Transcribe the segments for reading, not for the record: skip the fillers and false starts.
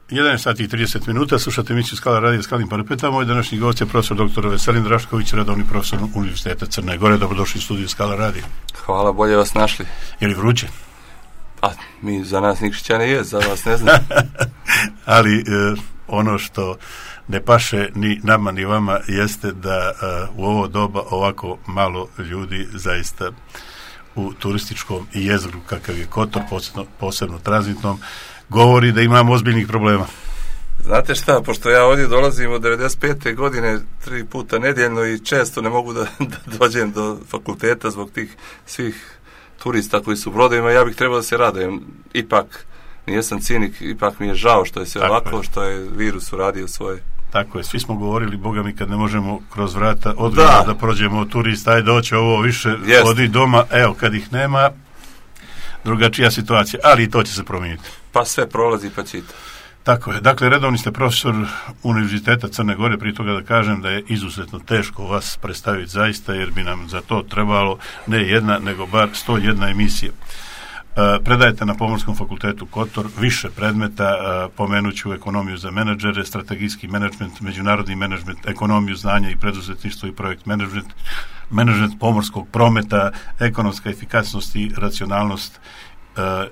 11 sati i 30 minuta, slušate emisiju Skala radija Skalnim parapetama. Moj današnji gost je profesor dr. Veselin Drašković, redovni profesor Univerziteta Crne Gore. Dobrodošli u studiju Skala radija. Hvala, bolje vas našli. Je li vruće? A, mi za nas Nikšićane je, za vas ne znam. Ali ono što ne paše ni nama ni vama jeste da u ovo doba ovako malo ljudi zaista u turističkom jezgru kakav je Kotor, posebno tranzitnom, govori da imamo ozbiljnih problema. Znate šta, pošto ja ovdje dolazim od 95. godine 3 puta nedjeljno i često ne mogu da dođem do fakulteta zbog tih svih turista koji su u brodovima, ja bih trebao da se radujem. Ipak, nijesam cinik, ipak mi je žao što je sve ovako, što je virus uradio svoje. Tako je, svi smo govorili, Boga mi, kad ne možemo kroz vrata odvrata da prođemo od turista, ajde doće ovo više, odi doma, evo, kad ih nema, drugačija situacija, ali i to će se promijeniti. Pa sve prolazi, pa čita. Tako je, dakle, redovni ste profesor Univerziteta Crne Gore, prije toga da kažem da je izuzetno teško vas predstaviti zaista, jer bi nam za to trebalo ne jedna, nego bar 101 emisija. Predajete na Pomorskom fakultetu Kotor više predmeta, pomenuću ekonomiju za menadžere, strategijski menadžment, međunarodni menadžment, ekonomiju znanja i preduzetništvo i projekt menadžment pomorskog prometa, ekonomska efikasnost i racionalnost,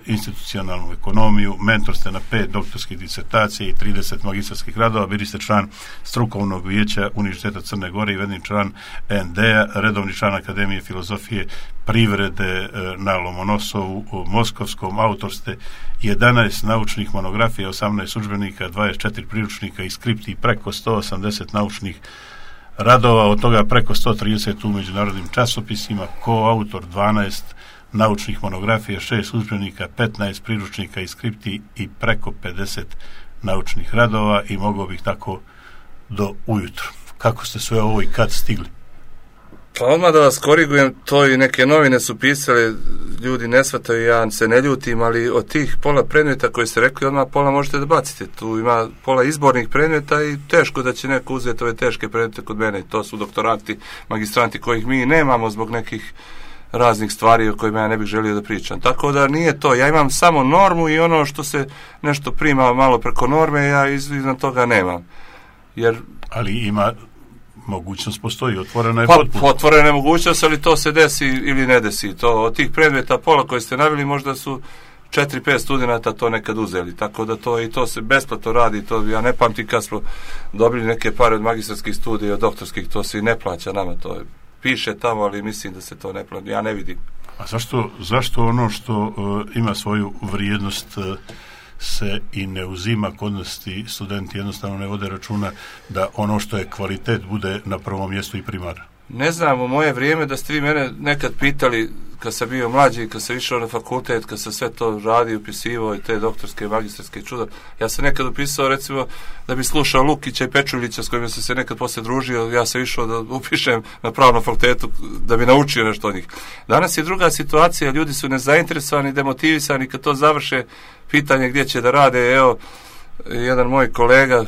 institucionalnu ekonomiju, mentor ste na 5 doktorskih disertacija i 30 magistarskih radova, bili ste član strukovnog vijeća Univerziteta Crne Gore i vedni član ND-a, redovni član Akademije filozofije privrede na Lomonosovu u Moskovskom, autor ste 11 naučnih monografija, 18 udžbenika, 24 priručnika i skripti i preko 180 naučnih radova, od toga preko 130 u međunarodnim časopisima, koautor 12 naučnih monografija, 6 udžbenika, 15 priručnika i skripti i preko 50 naučnih radova i mogao bih tako do ujutro. Kako ste sve ovo i kad stigli? Pa odmah da vas korigujem, to i neke novine su pisale, ljudi ne shvataju, ja se ne ljutim, ali od tih pola predmeta koje ste rekli, odmah pola možete da bacite. Tu ima pola izbornih predmeta i teško da će neko uzeti ove teške predmete kod mene. To su doktoranti, magistranti kojih mi nemamo zbog nekih raznih stvari o kojima ja ne bih želio da pričam. Tako da nije to. Ja imam samo normu i ono što se nešto prima malo preko norme, ja iznad toga nemam. Ali ima mogućnost, postoji, otvorena je potpuno. Otvorena je mogućnost, ali to se desi ili ne desi. To, od tih predmeta pola koje ste navili, možda su 4-5 studenata to nekad uzeli. Tako da to se besplatno radi. To, ja ne pamtim kad smo dobili neke pare od magistarskih studija, od doktorskih, to se i ne plaća nama. To je piše tamo, ali mislim da se to ne plaća. Ja ne vidim. A zašto ono što ima svoju vrijednost se i ne uzima kod nas, ti studenti jednostavno ne vode računa da ono što je kvalitet bude na prvom mjestu i primarno? Ne znam, u moje vrijeme da ste vi mene nekad pitali, kad sam bio mlađi, kad sam išao na fakultet, kad sam sve to radio, upisivao i te doktorske, magistarske čuda, ja sam nekad upisao, recimo, da bi slušao Lukića i Pečuljića s kojima sam se nekad poslije družio, ja sam išao da upišem na pravnom fakultetu da bi naučio nešto od njih. Danas je druga situacija, ljudi su nezainteresovani, demotivisani, kad to završe, pitanje gdje će da rade. Evo, jedan moj kolega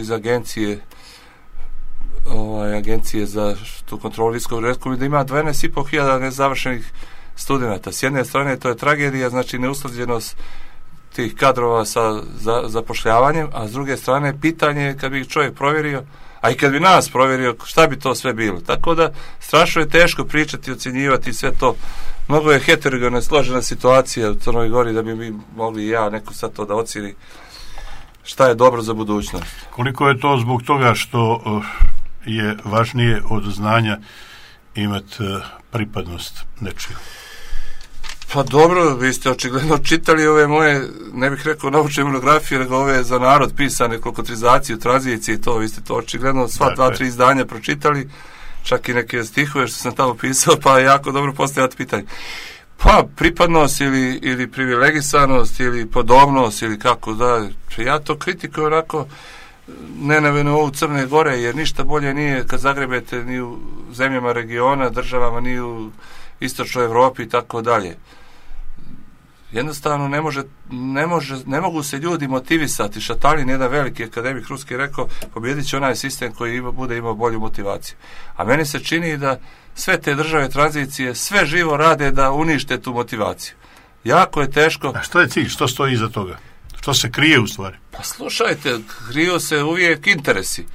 iz agencije za tu kontrolu visokog rizika, da ima 12.500 nezavršenih studenata. S jedne strane to je tragedija, znači neusklađenost tih kadrova sa zapošljavanjem, a s druge strane pitanje kad bi čovjek provjerio, a i kad bi nas provjerio, šta bi to sve bilo. Tako da strašno je teško pričati, ocjenjivati sve to. Mnogo je heterogena, složena situacija u Crnoj Gori da bi mi mogli neko sad to da ocijeni šta je dobro za budućnost. Koliko je to zbog toga što je važnije od znanja imati pripadnost nečiju? Pa dobro, vi ste očigledno čitali ove moje, ne bih rekao naučne monografije, nego ove za narod pisane, kolokvizaciju, tranzicije i to, vi ste to očigledno sva 2-3 izdanja pročitali, čak i neke stihove što sam tamo pisao, pa jako dobro postavljati pitanje. Pa pripadnost ili privilegisanost ili podobnost ili kako da, ja to kritikujem onako nenaveno ovu Crne Gore, jer ništa bolje nije kad zagrebete ni u zemljama regiona, državama, ni u istočnoj Evropi i tako dalje. Jednostavno ne mogu se ljudi motivisati. Šatalin, jedan veliki akademik ruski, rekao, pobjedit će onaj sistem koji bude imao bolju motivaciju. A meni se čini da sve te države tranzicije sve živo rade da unište tu motivaciju. Jako je teško. A što je cilj? Što stoji iza toga? To se krije u stvari. Pa slušajte, kriju se uvijek interesi.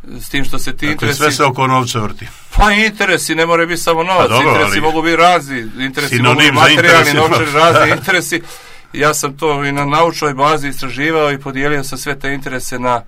S tim što se ti interesi... Sve se oko novca vrti. Pa interesi, ne moraju biti samo novac, dobro, interesi mogu biti razni, interesi mogu biti materijalni, novčani, razni interesi. Ja sam to i na naučnoj bazi istraživao i podijelio sam sve te interese na,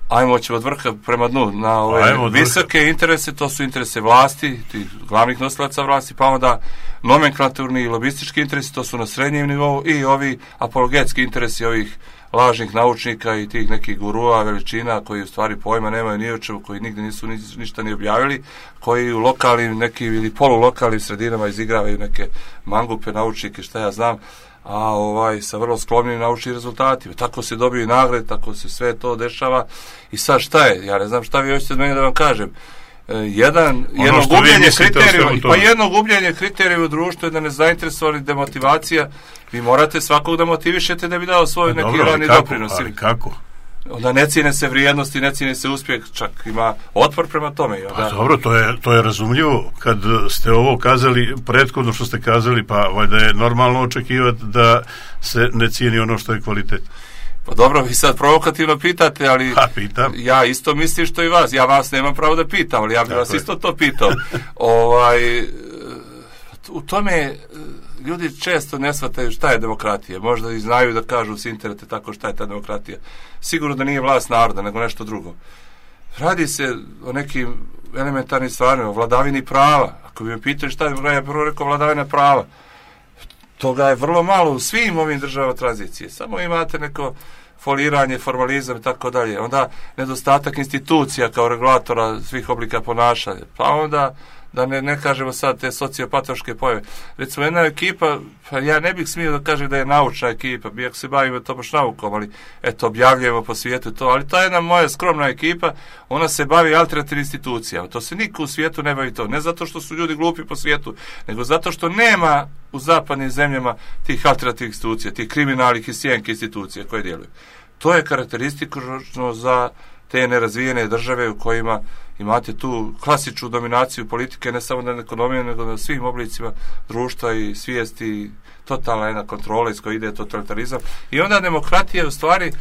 ajmo ćemo od vrha prema dnu, na ove visoke interese, to su interese vlasti, tih glavnih nosilaca vlasti, pa onda nomenklaturni i lobistički interesi, to su na srednjem nivou, i ovi apologetski interesi ovih lažnih naučnika i tih nekih gurua veličina koji u stvari pojma nemaju ni o čemu, koji nigde nisu ništa ni objavili, koji u lokalnim nekim ili polulokalnim sredinama izigravaju neke mangupe naučnike, šta ja znam, a sa vrlo skromnim naučnim rezultatima. Tako se dobiju i nagrade, tako se sve to dešava. I sad šta je? Ja ne znam šta vi hoćete od mene da vam kažem. Jedno gubljenje kriterija u društvu je da nezainteresovani demotivacija. Vi morate svakog da motivišete da bi dao svoj neki rani doprinos. Ali kako? Onda ne cijene se vrijednosti, ne cijene se uspjeh, čak ima otpor prema tome. Pa dobro, to je razumljivo. Kad ste ovo kazali, prethodno što ste kazali, pa valjda je normalno očekivati da se ne cijeni ono što je kvalitet. Pa dobro, vi sad provokativno pitate, ali pitam. Ja isto mislim što i vas. Ja vas nemam pravo da pitam, ali ja bih vas isto to pitao. U tome ljudi često ne shvataju šta je demokratija. Možda i znaju da kažu s interneta tako šta je ta demokratija. Sigurno da nije vlast naroda, nego nešto drugo. Radi se o nekim elementarnim stvarima, o vladavini prava. Ako bi me pitali šta je, ja prvo rekao vladavina prava. Toga je vrlo malo u svim ovim državama tranzicije. Samo imate neko foliranje, formalizam i tako dalje. Onda nedostatak institucija kao regulatora svih oblika ponašanja. Pa onda da ne kažemo sad te sociopatološke pojave. Recimo jedna ekipa, pa ja ne bih smio da kažem da je naučna ekipa, iako se bavimo to baš naukom, ali eto, objavljujemo po svijetu to, ali ta jedna moja skromna ekipa, ona se bavi alternativnim institucijama. To se niko u svijetu ne bavi to. Ne zato što su ljudi glupi po svijetu, nego zato što nema u zapadnim zemljama tih alternativnih institucija, tih kriminalnih i sjenke institucija koje djeluju. To je karakteristično za te nerazvijene države u kojima imate tu klasičnu dominaciju politike, ne samo na ekonomiji, nego na svim oblicima društva i svijesti, totalna jedna kontrola iz koje ide totalitarizam. I onda demokratija u stvari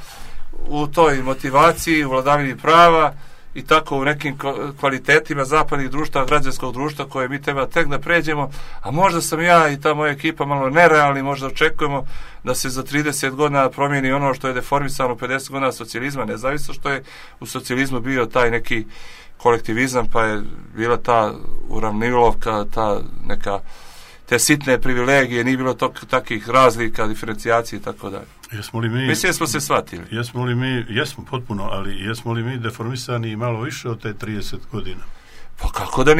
u toj motivaciji, u vladavini prava i tako u nekim kvalitetima zapadnih društva, građanskog društva koje mi treba tek da pređemo, a možda sam ja i ta moja ekipa malo nerealni, možda očekujemo da se za 30 godina promijeni ono što je deformisano 50 godina socijalizma, nezavisno što je u socijalizmu bio taj neki kolektivizam, pa je bila ta uravnilovka, ta neka te sitne privilegije, nije bilo takvih razlika, diferencijacije i tako dalje. Mislim da smo se shvatili. Jesmo potpuno, ali jesmo li mi deformisani malo više od te 30 godina? Pa kako da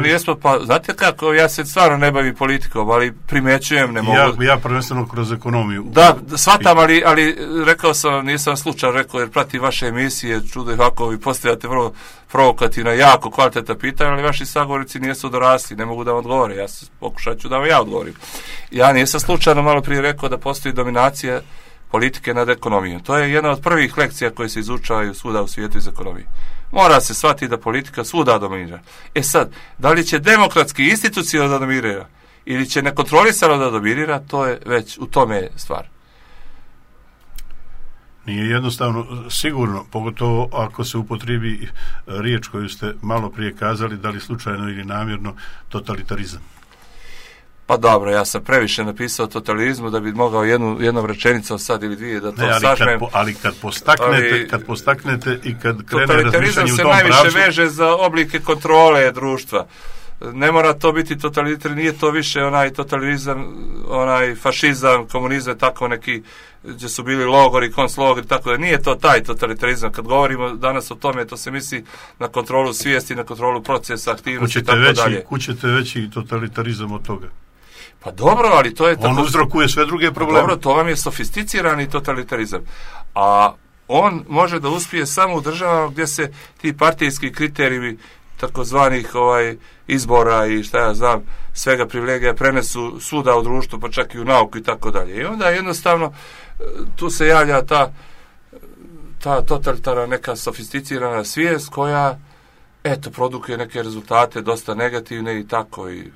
nijesmo, pa znate kako, ja se stvarno ne bavim politikom, ali primećujem, ne mogu... Ja prvenstveno kroz ekonomiju. Da, shvatam, ali rekao sam, nisam slučajno rekao, jer pratim vaše emisije, čudo je ovako, vi postavljate vrlo provokativno, jako kvalitetna pitanja, ali vaši sagovornici nisu dorasli, ne mogu da vam odgovore, ja pokušat ću da vam ja odgovorim. Ja nisam slučajno malo prije rekao da postoji dominacija politike nad ekonomijom. To je jedna od prvih lekcija koje se izučavaju svuda u svijetu iz ekonomije. Mora se shvatiti da politika svuda dominira. E sad, da li će demokratski institucionalno da dominira ili će nekontrolisano da dominira, to je već u tome stvar. Nije jednostavno, sigurno, pogotovo ako se upotrijebi riječ koju ste malo prije kazali, da li slučajno ili namjerno, totalitarizam. Pa dobro, ja sam previše napisao totalizmu da bi mogao jednom rečenicom sad ili dvije da to sažmem. Ali kad postaknete i kad krene razmišljanje u tom pravcu... Totalitarizam se najviše veže za oblike kontrole društva. Ne mora to biti totalitar, nije to više onaj totalitarizam, onaj fašizam, komunizam, tako neki gdje su bili logori, konclogori, tako da nije to taj totalitarizam. Kad govorimo danas o tome, to se misli na kontrolu svijesti, na kontrolu procesa, aktivnosti i tako dalje. Kućete veći totalitarizam od toga? Pa dobro, ali to je... On uzrokuje sve druge probleme. Dobro, to vam je sofisticirani totalitarizam. A on može da uspije samo u državama gdje se ti partijski kriteriji takozvanih izbora i šta ja znam, svega privilegija prenesu svuda u društvu, pa čak i u nauku i tako dalje. I onda jednostavno tu se javlja ta totalitarna neka sofisticirana svijest koja produkuje neke rezultate dosta negativne i tako i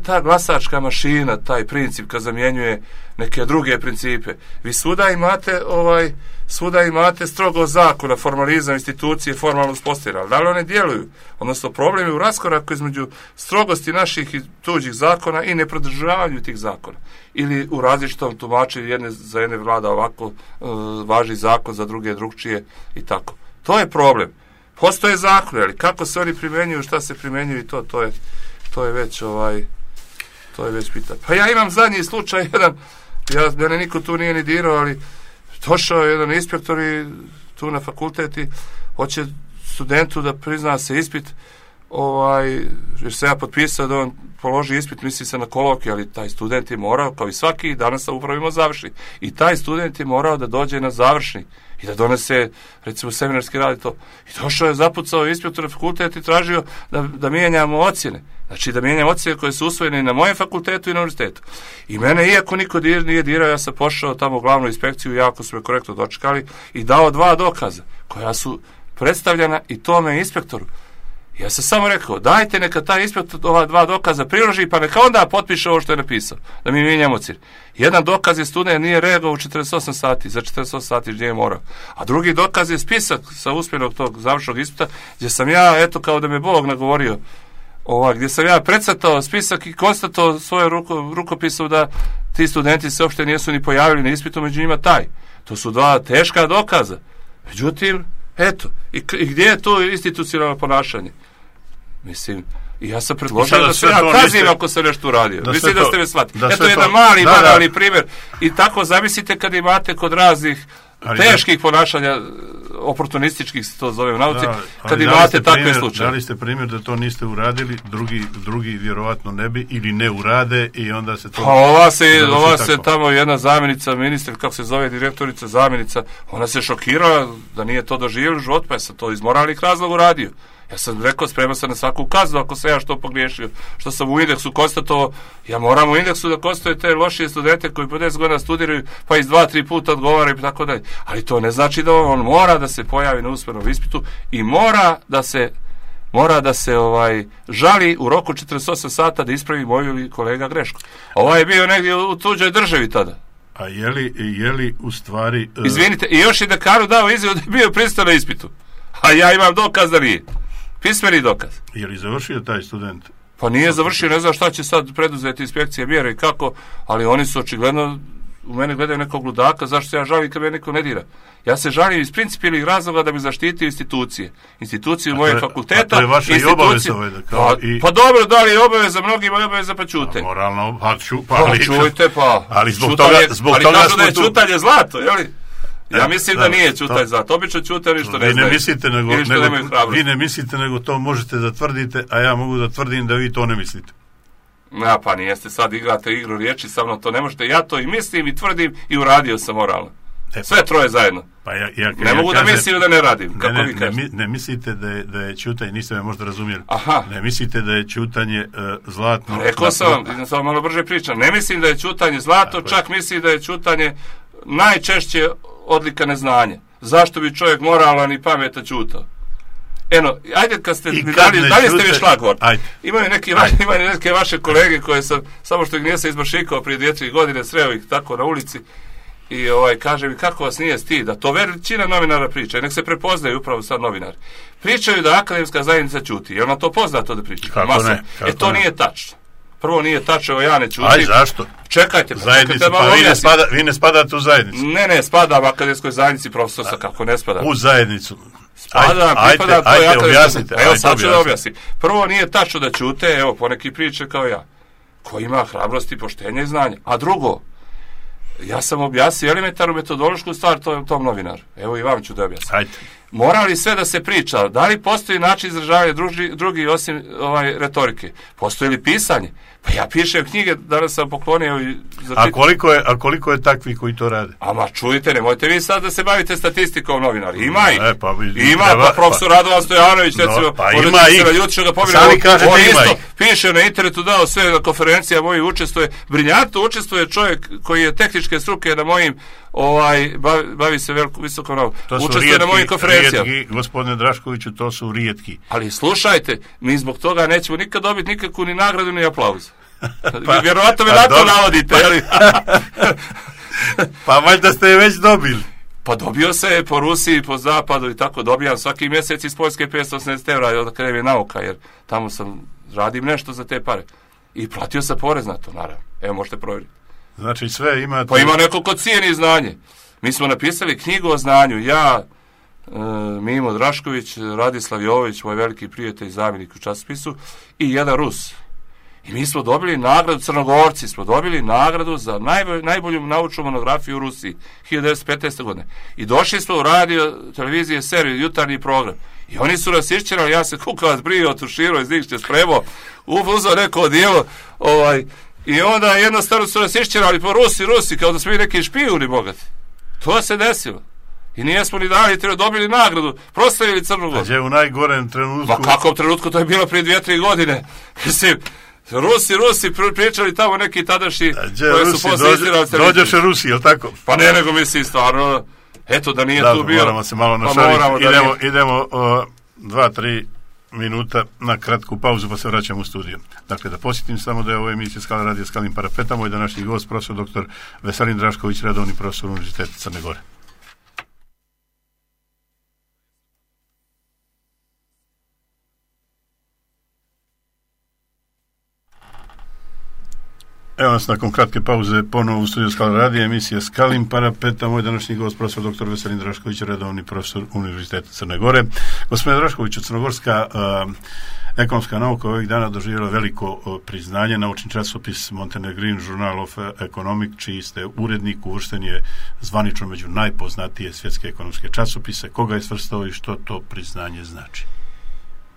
ta glasačka mašina, taj princip kad zamjenjuje neke druge principe. Vi svuda imate strogo zakona, formalizam, institucije formalno uspostavljene, ali da li one djeluju? Odnosno, problem je u raskoraku između strogosti naših i tuđih zakona i neprodržavanju tih zakona. Ili u različitom tumačenju, za jedne vlada ovako važi zakon, za druge drugčije i tako. To je problem. Postoje zakon, ali kako se oni primjenjuju, šta se primjenjuju i to je već pitanje. Pa ja imam zadnji slučaj, mene niko tu nije ni dirao, ali došao je jedan inspektor i tu na fakulteti hoće studentu da prizna se ispit, jer se ja potpisao da on položi ispit, misli se na kolokvij, ali taj student je morao, kao i svaki, danas sam upravo imao završni, i taj student je morao da dođe na završni i da donese, recimo, seminarski rad i to. I došao je, zapucao inspektor na fakultet i tražio da mijenjamo ocjene. Znači, da mijenjamo ocjene koje su usvojene i na mojem fakultetu i na univerzitetu. I mene, iako niko nije dirao, ja sam pošao tamo u glavnu inspekciju, jako su me korektno dočekali i dao 2 dokaza koja su predstavljena i tome inspektoru. Ja sam samo rekao, dajte neka taj inspektor ova 2 dokaza priloži, pa neka onda potpiše ovo što je napisao, da mi mijenjamo ocjene. Jedan dokaz je student nije reagovao u 48 sati, za 48 sati gdje je morao. A drugi dokaz je spisak sa uspjenog tog završnog ispita, gdje sam ja, eto, kao da me Bog nagovorio, gdje sam ja precrtao spisak i konstatovao svojom rukopisom da ti studenti se uopšte nisu ni pojavili na ispitu, među njima taj. To su 2 teška dokaza. Međutim, eto, i gdje je to institucionalno ponašanje? Mislim, i ja sam predložio da se ja kazim ako sam nešto uradio. Mislim da ste me shvatili. Eto jedan mali, banalni primjer. I tako zamislite kad imate kod raznih teških ponašanja, oportunističkih se to zove u nauci, kad imate takve slučaje. Dali ste primjer da to niste uradili, drugi vjerovatno ne bi, ili ne urade i onda se to... Pa ova se tamo jedna zamjenica ministra, kako se zove, direktorica, zamjenica, ona se šokirala da nije to doživjela u životu, pa je sam to iz moralnih razloga uradio. Ja sam rekao, spreman sam na svaku kaznu ako sam ja što pogriješio, što sam u indeksu konstatovao. Ja moram u indeksu da konstatuje te lošije studente koji po 10 godina studiraju, pa iz 2-3 puta odgovaraju i tako dalje. Ali to ne znači da on mora da se pojavi na usmenom ispitu i mora da se žali u roku 48 sata da ispravi moju ili kolega grešku. Je bio negdje u tuđoj državi tada. A je li u stvari... Izvinite, i još i dekanu dao izjavu da je bio prisutan na ispitu. A ja imam dokaz da nije. Pismeni dokaz. Je li završio taj student? Pa nije završio, ne znam šta će sad preduzeti inspekcije mjere i kako, ali oni su očigledno u mene gledaju nekog ludaka, zašto se ja žalim kad me neko ne dira. Ja se žalim iz principijelnih razloga da bi zaštitio institucije. Instituciju mojeg fakulteta. To je vaša i obaveza. Pa dobro, da li je obaveza, mnogima je obaveza pa čute. Moralno, čujte, pa. Ali zbog toga ali kažu da je čutanje zlato, jeli? Ja mislim da nije čutaj zlato. Obično čute oni što ne znaju. Vi ne mislite, nego to možete da tvrdite, a ja mogu da tvrdim da vi to ne mislite. Pa nijeste, sad igrate igru riječi, sa mnom to ne možete. Ja to i mislim i tvrdim i uradio sam moralno. Sve troje zajedno. Pa ne mogu da mislim da ne radim. Kako vi kažete? Ne mislite da je čutanje, niste me možda razumjeli. Aha. Ne mislite da je čutanje zlatno. Rekao sam vam malo brže pričam. Ne mislim da je čutanje zlato, čak mislim da je čutanje najčešće odlika neznanja. Zašto bi čovjek moralan i pametan čutao? Ajde kad ste dalje ste mi šlagvort. Imaju neke vaše kolege koje sam, samo što ih nije se izbašikao prije 2-3 godine, sreo ih tako na ulici i kaže mi kako vas nije stid, da to većina novinara priča i nek se prepoznaju upravo sad novinari. Pričaju da akademska zajednica ćuti. Je ona to poznato da priča? Kako ne? To nije tačno. Prvo nije tačno, ja ne ćutim. Aj, zašto? Čekajte, vi ne spadate u zajednicu. Ne, spadam akademskoj zajednici profesorstva, kako ne spadam. U zajednicu. Pripadam, to je objasnite. Evo, sad ću da objasnim. Prvo nije tačno da ćute, evo, poneki priče kao ja, ko ima hrabrosti, poštenja i znanja. A drugo, ja sam objasnio elementarnu metodološku stvar tom novinaru. Evo i vam ću da objasnim. Ajde. Mora li sve da se priča? Da li postoji način izražavanja drugi osim retorike? Postoji li pisanje? Pa ja pišem knjige, danas sam poklonio i a koliko je takvi koji to rade? Ma čujte, nemojte vi sad da se bavite statistikom novinari. Ima ih. Pa profesor Radovan Stojanović, recimo, možete se naljuti što ga pobjera. On isto piše na internetu, dao sve na konferencija moji učestvuje. Briljantno učestvuje čovjek koji je tehničke struke na mojim bavi se visokom naukom. Učestvuje na mojim konferencijama. tendencija. Rijetki, gospodine Draškoviću, to su rijetki. Ali slušajte, mi zbog toga nećemo nikad dobiti nikakvu ni nagradu ni aplauz. Vjerovatno me na to navodite, jel? Pa valjda ste je već dobili. Pa dobio se po Rusiji, po zapadu i tako dobijam svaki mjesec iz Poljske 580 € od Akademije nauka, jer tamo radim nešto za te pare. I platio sam porez na to, naravno. Evo, možete provjeriti. Znači sve imate... Pa ima neko ko cijeni znanje. Mi smo napisali knjigu o znanju. Ja, Mimo Drašković, Radislav Jovović, moj veliki prijatelj i zamjenik u časopisu, i jedan Rus. I mi smo dobili nagradu, Crnogorci smo dobili nagradu za najbolju naučnu monografiju u Rusiji 1915. godine. I došli smo u radio, televizije, seriju, jutarnji program. I oni su nas išćerali, ja se kukavac brio, tuširao, iz njih što je spremao, uzao neko odijelo, i onda jednostavno su nas išćerali po Rusi, kao da smo mi neki špijuni bogati. To se desilo. I nijesmo ni dali, dobili nagradu, proslavili Crnu Goru. A gdje u najgorem trenutku... Ma kakvom trenutku, to je bilo prije 2-3 godine. Mislim, Rusi pričali tamo neki tadašnji koji su posle istirali televiziju. Dođeše Rusi, je li tako? Pa ne, nego mislim stvarno, eto da nije tu bio. Moramo se malo našaliti. Idemo 2-3 minuta na kratku pauzu pa se vraćamo u studiju. Dakle, da posjetim samo da je ovo emisija Skala radija Skalim Parapeta, moj današnji gost, profesor dr. Veselin Drašković, redovni profesor Univerziteta Crne Gore. Evo nas nakon kratke pauze ponovo u studiju Skala radija, emisija Skalim Parapeta, moj današnji gost, profesor dr. Veselin Drašković, redovni profesor Univerziteta Crne Gore. Gospodine Draškoviću, crnogorska ekonomska nauka ovih dana doživjela veliko priznanje. Naučni časopis Montenegrin Journal of Economic, čiji ste urednik, uvršten je zvanično među najpoznatije svjetske ekonomske časopise. Koga je svrstao i što to priznanje znači?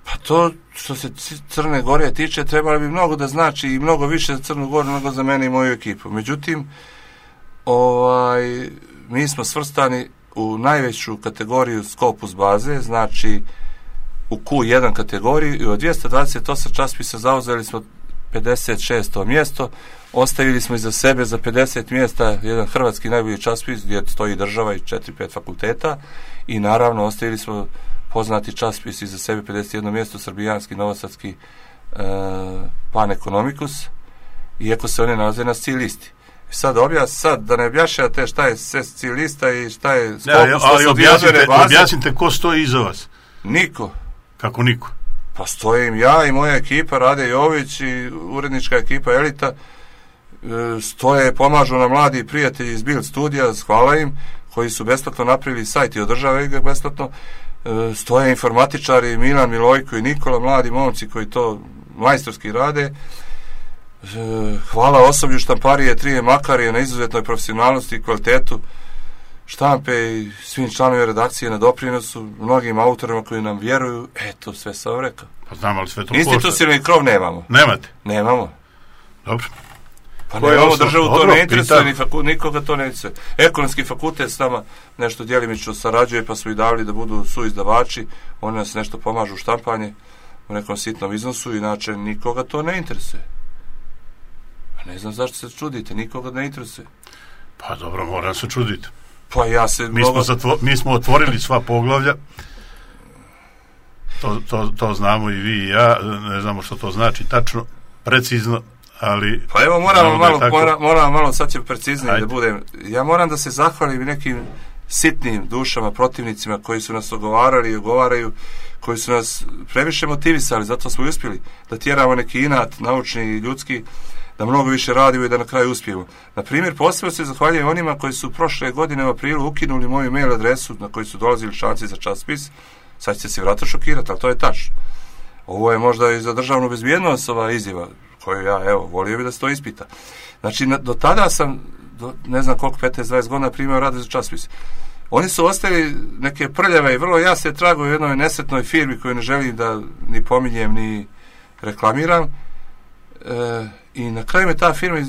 Pa to što se Crne Gore tiče trebalo bi mnogo da znači i mnogo više za Crnu Goru nego za mene i moju ekipu. Međutim, mi smo svrstani u najveću kategoriju Scopus baze, znači u Q1 kategoriju, i od 228 časopisa zauzeli smo 56. mjesto, ostavili smo iza sebe za 50 mjesta jedan hrvatski najbolji časopis gdje stoji država i 4-5 fakulteta, i naravno ostavili smo poznati časopis iza sebe 51. mjesto, srbijanski, novosadski Pan Economicus, iako se one nalaze na SCI listi. Sad da ne objašnjate šta je SCI lista i šta je Scopus, ali objasnite ko stoji iza vas. Niko. Kako niko? Pa stojim ja i moja ekipa, Rade Jović i urednička ekipa Elita, stoje, pomažu nam mladi prijatelji iz Bild studija, hvala im, koji su besplatno napravili sajt i održavaju ga besplatno. Stoje informatičari Milan Milojko i Nikola, mladi momci koji to majstorski rade. Hvala osoblju štamparije Trije Makarije na izuzetnoj profesionalnosti i kvalitetu štampe i svim članovima redakcije na doprinosu, mnogim autorima koji nam vjeruju. Eto, sve sam rekao. Pa znam, ali sve to košta. Institucionalni krov nemamo. Nemate? Nemamo. Dobro. Pa nemamo, državu to ne interesuje, nikoga to ne interesuje. Ekonomski fakultet s nama nešto djelimično sarađuje, pa smo i davali da budu suizdavači, oni nas nešto pomažu u štampanje u nekom sitnom iznosu, inače nikoga to ne interesuje. Pa ne znam zašto se čudite, nikoga ne interesuje. Pa dobro, moram se čuditi. Pa ja se... Mi smo otvorili sva poglavlja, to znamo i vi i ja, ne znamo što to znači tačno, precizno, ali... Pa evo, moram malo, sad će preciznije da budem. Ja moram da se zahvalim nekim sitnim dušama, protivnicima koji su nas ogovarali i ogovaraju, koji su nas previše motivisali, zato smo i uspjeli da tjeramo neki inat, naučni i ljudski, da mnogo više radimo i da na kraju uspijemo. Na primjer, posebno se zahvaljujem onima koji su prošle godine u aprilu ukinuli moju mail adresu na koju su dolazili članci za časopis. Sad ćete se vratno šokirati, ali to je tačno. Ovo je možda i za državnu bezbjednost ova izjava, koju ja, evo, volio bi da se to ispita. Znači, do tada sam, ne znam koliko, 15-20 godina primio rade za časopis. Oni su ostavili neke prljave i vrlo jasne tragove u jednoj nesretnoj firmi koju ne želim da ni pominjem, ni reklamiram. I na kraju me ta firma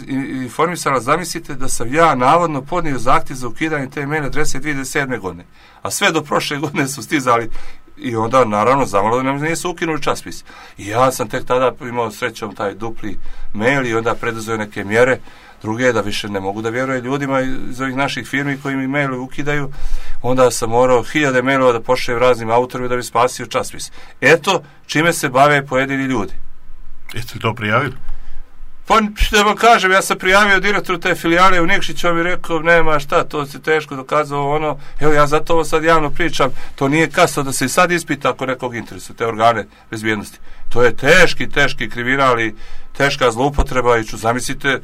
informisala, zamislite da sam ja navodno podnio zahtjev za ukidanje te mail adrese 2007. godine. A sve do prošle godine su stizali i onda naravno zamalo da nam nisu ukinuli časopis. I ja sam tek tada imao srećom taj dupli mail i onda preduzeo neke mjere Druge je da više ne mogu da vjeruje ljudima iz ovih naših firmi koji mi mailove ukidaju, onda sam morao 1000 mailova da pošaljem raznim autorima da bi spasio časopis. Eto čime se bave pojedini ljudi. Jeste li to prijavili? Pa da vam kažem, ja sam prijavio direktoru te filijale u Nikšiću, on mi rekao, nema šta, to se teško dokazao, ono, evo ja zato ovo sad javno pričam, to nije kasno da se i sad ispita ako nekog interesu, te organe bezbjednosti. To je teški kriminal i teška zloupotreba i zamislite,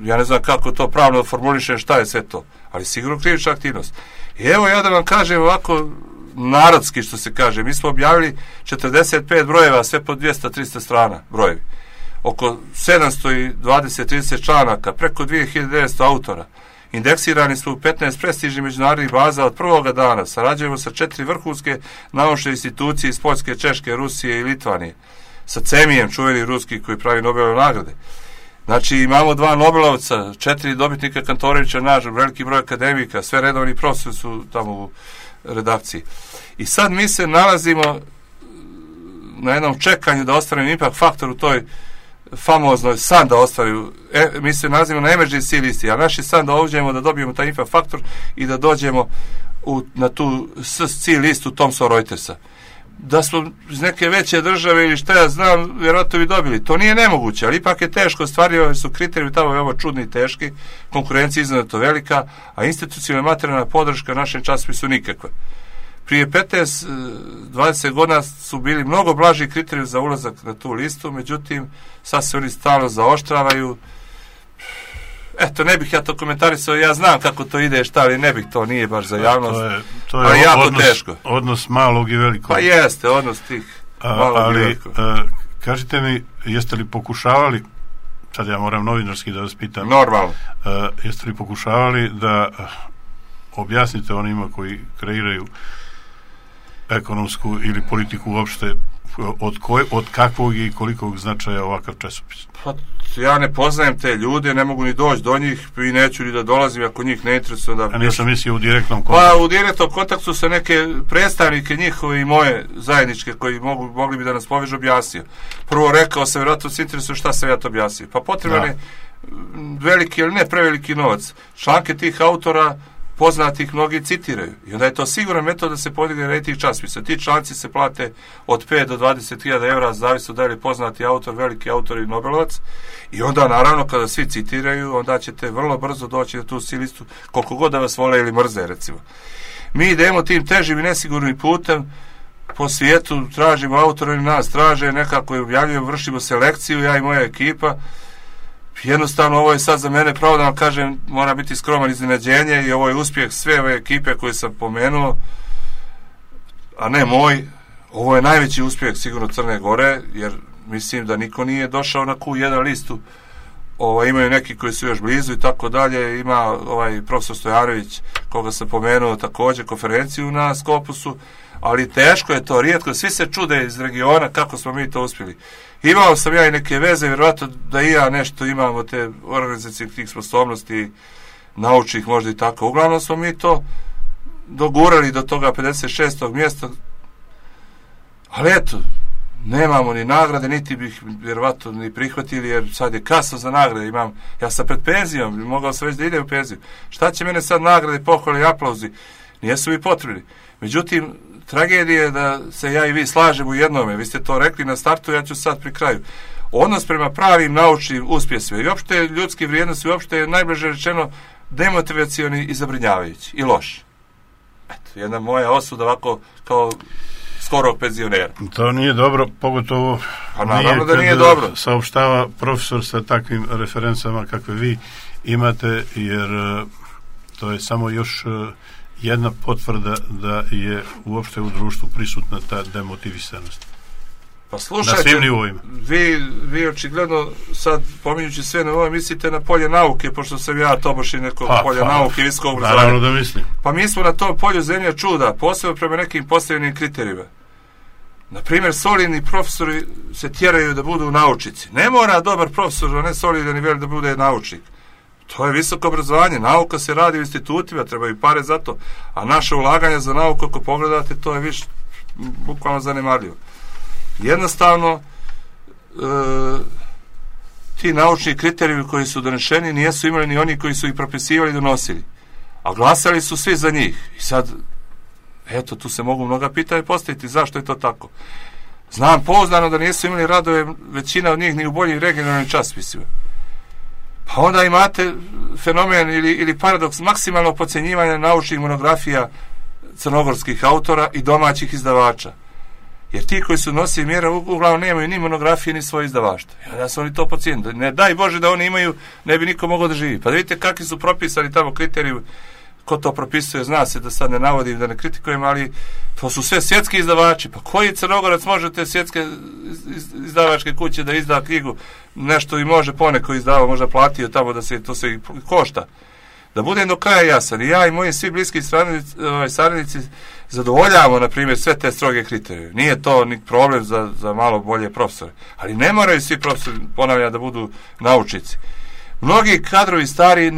ja ne znam kako to pravno formulišem, šta je sve to, ali sigurno krivična aktivnost. I evo ja da vam kažem ovako, narodski što se kaže, mi smo objavili 45 brojeva, sve po 200-300 strana brojevi. Oko 720-30 članaka, preko 2900 autora. Indeksirani smo u 15 prestižnih međunarodnih baza od prvoga dana. Sarađujemo sa 4 vrhunske naučne institucije iz Poljske, Češke, Rusije i Litvanije. Sa CEMIjem, čuveni ruski koji pravi Nobelove nagrade. Znači imamo 2 Nobelovca, 4 dobitnika Kantorevića, naš veliki broj akademika, sve redovni profesori su tamo u redakciji. I sad mi se nalazimo na jednom čekanju da ostvarimo impact faktor u toj famoznoj san da ostvaruju, mi se nalazimo na emergency listi, a naš je san da uđemo da dobijemo taj impact faktor i da dođemo na tu SC listu Thomson Reutersa. Da smo iz neke veće države ili šta ja znam, vjerojatno bi dobili. To nije nemoguće, ali ipak je teško ostvario, jer su kriteriji tamo veoma čudni i teški, konkurencija iznimno velika, a institucionalna materijalna podrška našem časopisu nikakva. Prije 15-20 godina su bili mnogo blaži kriteriji za ulazak na tu listu, međutim, sad se oni stalno zaoštravaju. Eto, ne bih ja to komentarisao, ja znam kako to ide, šta, ali ne bih, to nije baš za javnost. To je jako teško. Odnos malog i velikog. Pa jeste, odnos tih malog i velikog. Kažite mi, jeste li pokušavali, sad ja moram novinarski da vas pitam. Normalno. Jeste li pokušavali da objasnite onima koji kreiraju ekonomsku ili politiku uopšte od kakvog i kolikog značaja ovakav časopis? Pa ja ne poznajem te ljude, ne mogu ni doći do njih i neću ni da dolazim ako njih ne interesuje. A nisam mislio u direktnom kontaktu? Pa u direktnom kontaktu sa neke predstavnike njihove i moje zajedničke koji mogli bi da nas povežu objasnio. Prvo rekao sam, vjerojatno se interesuje šta sam ja to objasnio. Pa potreban je veliki, ali ne preveliki novac. Članke tih autora poznatih mnogi citiraju. I onda je to siguran metod da se podigne rejting časopisa. Ti članci se plate od 5 do 20.000 evra, zavisno da li je poznati autor, veliki autor i Nobelovac. I onda, naravno, kada svi citiraju, onda ćete vrlo brzo doći na tu listu, koliko god da vas vole ili mrze, recimo. Mi idemo tim težim i nesigurnim putem po svijetu, tražimo autora, nas traže, nekako je objavljujemo, vršimo selekciju, ja i moja ekipa. Jednostavno, ovo je sad za mene, pravo da vam kažem, mora biti skroman iznenađenje i ovo je uspjeh sve ove ekipe koje sam pomenuo, a ne moj. Ovo je najveći uspjeh sigurno Crne Gore, jer mislim da niko nije došao na Q1 listu. Imaju neki koji su još blizu i tako dalje. Ima ovaj profesor Stojanović, koga sam pomenuo, također konferenciju na Skopusu, ali teško je to, rijetko, svi se čude iz regiona kako smo mi to uspjeli. Imao sam ja i neke veze, vjerojatno da i ja nešto imamo te organizacije tih sposobnosti, naučnih možda i tako. Uglavnom smo mi to dogurali do toga 56. mjesta, ali eto, nemamo ni nagrade, niti bih vjerovatno ni prihvatili, jer sad je kasno za nagrade. Ja sam pred penzijom, mogao sam već da idem u penziju. Šta će mene sad nagrade, pohvale i aplauzi? Nijesu mi potrebni. Međutim, tragedija je da se ja i vi slažemo u jednome. Vi ste to rekli na startu, ja ću sad pri kraju. Odnos prema pravim naučnim uspjesima i uopšte ljudski vrijednosti, uopšte je najbliže rečeno demotivacioni i zabrinjavajući i loš. Eto, jedna moja osuda ovako kao skorog penzionera. To nije dobro, pogotovo naravno da nije dobro. Saopštava profesor sa takvim referencama kakve vi imate, jer to je samo još jedna potvrda da je uopšte u društvu prisutna ta demotivisanost. Pa slušajte, na svim nivoima. Vi očigledno sad, pominjući sve na ovo, mislite na polje nauke, pošto sam ja toboši nekog polja nauke i visokog obrazovanja. Naravno da mislim. Pa mi smo na tom polju zemlje čuda, posebno prema nekim postavljenim kriterijima. Naprimjer, solidni profesori se tjeraju da budu naučnici. Ne mora dobar profesor, a ne solidan i velik da bude naučnik. To je visoko obrazovanje, nauka se radi u institutima, trebaju pare za to, a naše ulaganje za nauku, ako pogledate, to je više bukvalno zanemarljivo. Jednostavno, ti naučni kriterijumi koji su donešeni nijesu imali ni oni koji su ih propisivali i donosili. A glasali su svi za njih. I sad, eto, tu se mogu mnoga pitanja postaviti zašto je to tako. Znam pouzdano da nisu imali radove većina od njih ni u boljim regionalnim časopisima. Pa onda imate fenomen ili paradoks maksimalnog podcjenjivanja naučnih monografija crnogorskih autora i domaćih izdavača. Jer ti koji su nosili mjera uglavnom nemaju ni monografije ni svoje izdavaštvo. I onda su oni to podcijenili. Ne daj Bože da oni imaju, ne bi niko mogao da živi. Pa da vidite kakvi su propisani tamo kriteriji, ko to propisuje, zna se, da sad ne navodim, da ne kritikujem, ali to su sve svjetski izdavači. Pa koji Crnogorac može te svjetske izdavačke kuće da izda knjigu, nešto i može poneko izdava, možda platio tamo da se to se košta. Da budem do kraja jasan, i ja i moji svi bliski saradnici zadovoljavamo, na primjer, sve te stroge kriterije. Nije to ni problem za malo bolje profesore. Ali ne moraju svi profesori, ponavljam, da budu naučnici. Mnogi kadrovi stari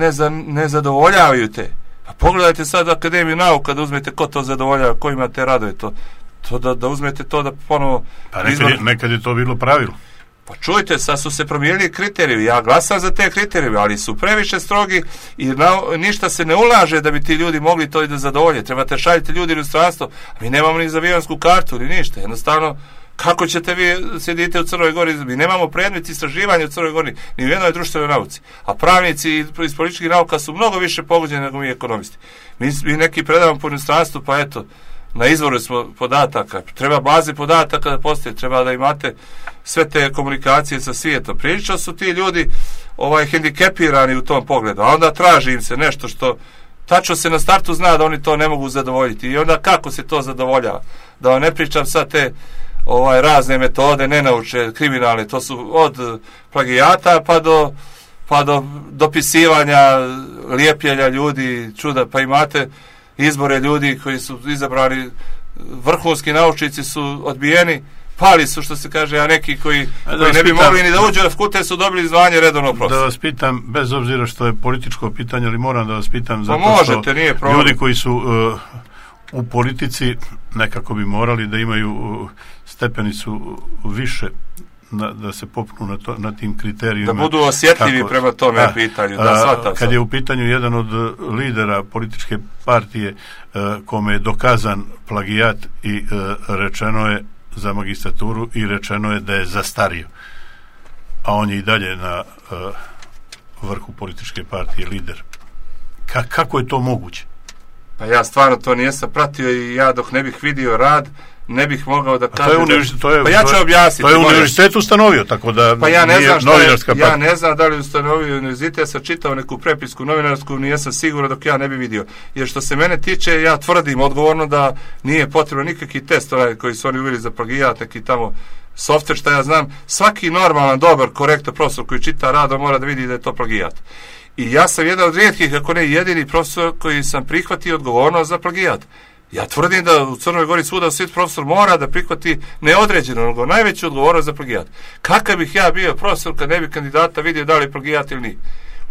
ne zadovoljavaju te. Pa pogledajte sad Akademiju nauka, da uzmete ko to zadovoljava, ko ima te radove, to da uzmete to da ponovo... Pa nekad je to bilo pravilo. Pa čujte, sad su se promijenili kriteriji, ja glasam za te kriterije, ali su previše strogi i ništa se ne ulaže da bi ti ljudi mogli to i da zadovolje. Trebate šaljiti ljudi u inostranstvo, a mi nemamo ni za avionsku kartu, ni ništa. Jednostavno, kako ćete vi sjedite u Crnoj Gori? Mi nemamo predmet istraživanja u Crnoj Gori, ni u jednoj društvenoj nauci. A pravnici iz političkih nauka su mnogo više pogođeni nego mi ekonomisti. Mi neki predavamo po inostranstvu, pa eto, na izvoru smo podataka. Treba baze podataka da postoje, treba da imate sve te komunikacije sa svijetom. Prilično su ti ljudi hendikepirani u tom pogledu, a onda traži im se nešto što tačno se na startu zna da oni to ne mogu zadovoljiti. I onda kako se to zadovoljava? Da vam ne pričam sad te razne metode, nenaučne, kriminalne, to su od plagijata pa do dopisivanja, lijepljenja ljudi, čuda, pa imate izbore ljudi koji su izabrani, vrhunski naučnici su odbijeni, pali su, što se kaže, a neki koji ne bi mogli ni da uđu na fakultet su dobili zvanje redovnog profesora. Da vas pitam, bez obzira što je političko pitanje, ali moram da vas pitam, zato možete, nije problem. Ljudi koji su u politici nekako bi morali da imaju stepenicu više da se popnu na tim kriterijima. Da budu osjetljivi prema tome pitanju. Kad je u pitanju jedan od lidera političke partije kome je dokazan plagijat i rečeno je za magistraturu i rečeno je da je zastario. A on je i dalje na vrhu političke partije lider. Kako je to moguće? Pa ja stvarno to nijesam pratio i ja dok ne bih vidio rad ne bih mogao da kažem. Pa ja ću objasniti. To je univerzitet ustanovio, tako da pa ja ne znam novinarska partija. Ja ne znam da li ustanovio univerzitet, ja sam čitao neku prepisku novinarsku, nijesam siguran dok ja ne bi vidio. Jer što se mene tiče, ja tvrdim odgovorno da nije potrebno nikakvi test koji su oni uveli za plagijat, neki tamo softver, šta ja znam. Svaki normalan, dobar, korektan profesor koji čita rad, on mora da vidi da je to plagijat. I ja sam jedan od rijetkih, ako ne jedini profesor koji sam prihvatio odgovornost za plagijat. Ja tvrdim da u Crnoj Gori svuda svi profesor mora da prihvati neodređeno, nego najveću odgovornost za plagijat. Kakav bih ja bio profesor kad ne bi kandidata vidio da li je plagijat ili nije?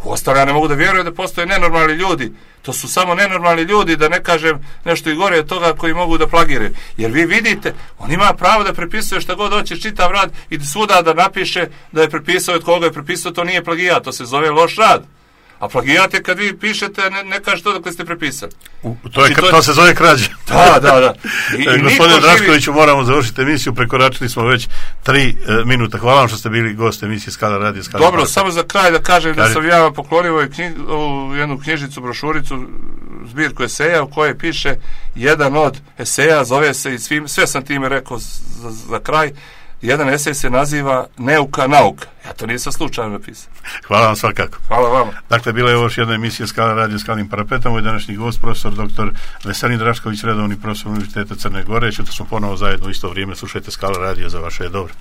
Uostalom, ja ne mogu da vjerujem da postoje nenormalni ljudi. To su samo nenormalni ljudi, da ne kažem nešto i gore od toga koji mogu da plagiraju. Jer vi vidite, on ima pravo da prepisuje šta god hoće čitav rad i svuda da napiše da je prepisao od koga je prepisao, to nije plagijat, to se zove loš rad. A plagijat je kad vi pišete, ne kažete to dok ste prepisali. To se zove krađa. Da. Gospodine Draškoviću, moramo završiti emisiju, prekoračili smo već 3 minuta. Hvala vam što ste bili gost emisije Skala radio. Dobro, samo za kraj da kažem da sam ja vam poklonio jednu knjižicu, brošuricu, zbirku eseja u kojoj piše jedan od eseja, zove se, i sve sam time rekao za kraj, jedan esej se naziva Neuka nauka. Ja to nisam slučajno napisao. Hvala vam svakako. Hvala vama. Dakle, bila je ovo još jedna emisija Skala radio Skalnim parapetom. Moj današnji gost, profesor dr. Veselin Drašković, redovni profesor Univerziteta Crne Gore. Čuto smo ponovo zajedno u isto vrijeme. Slušajte Skala radio, za vaše je dobro.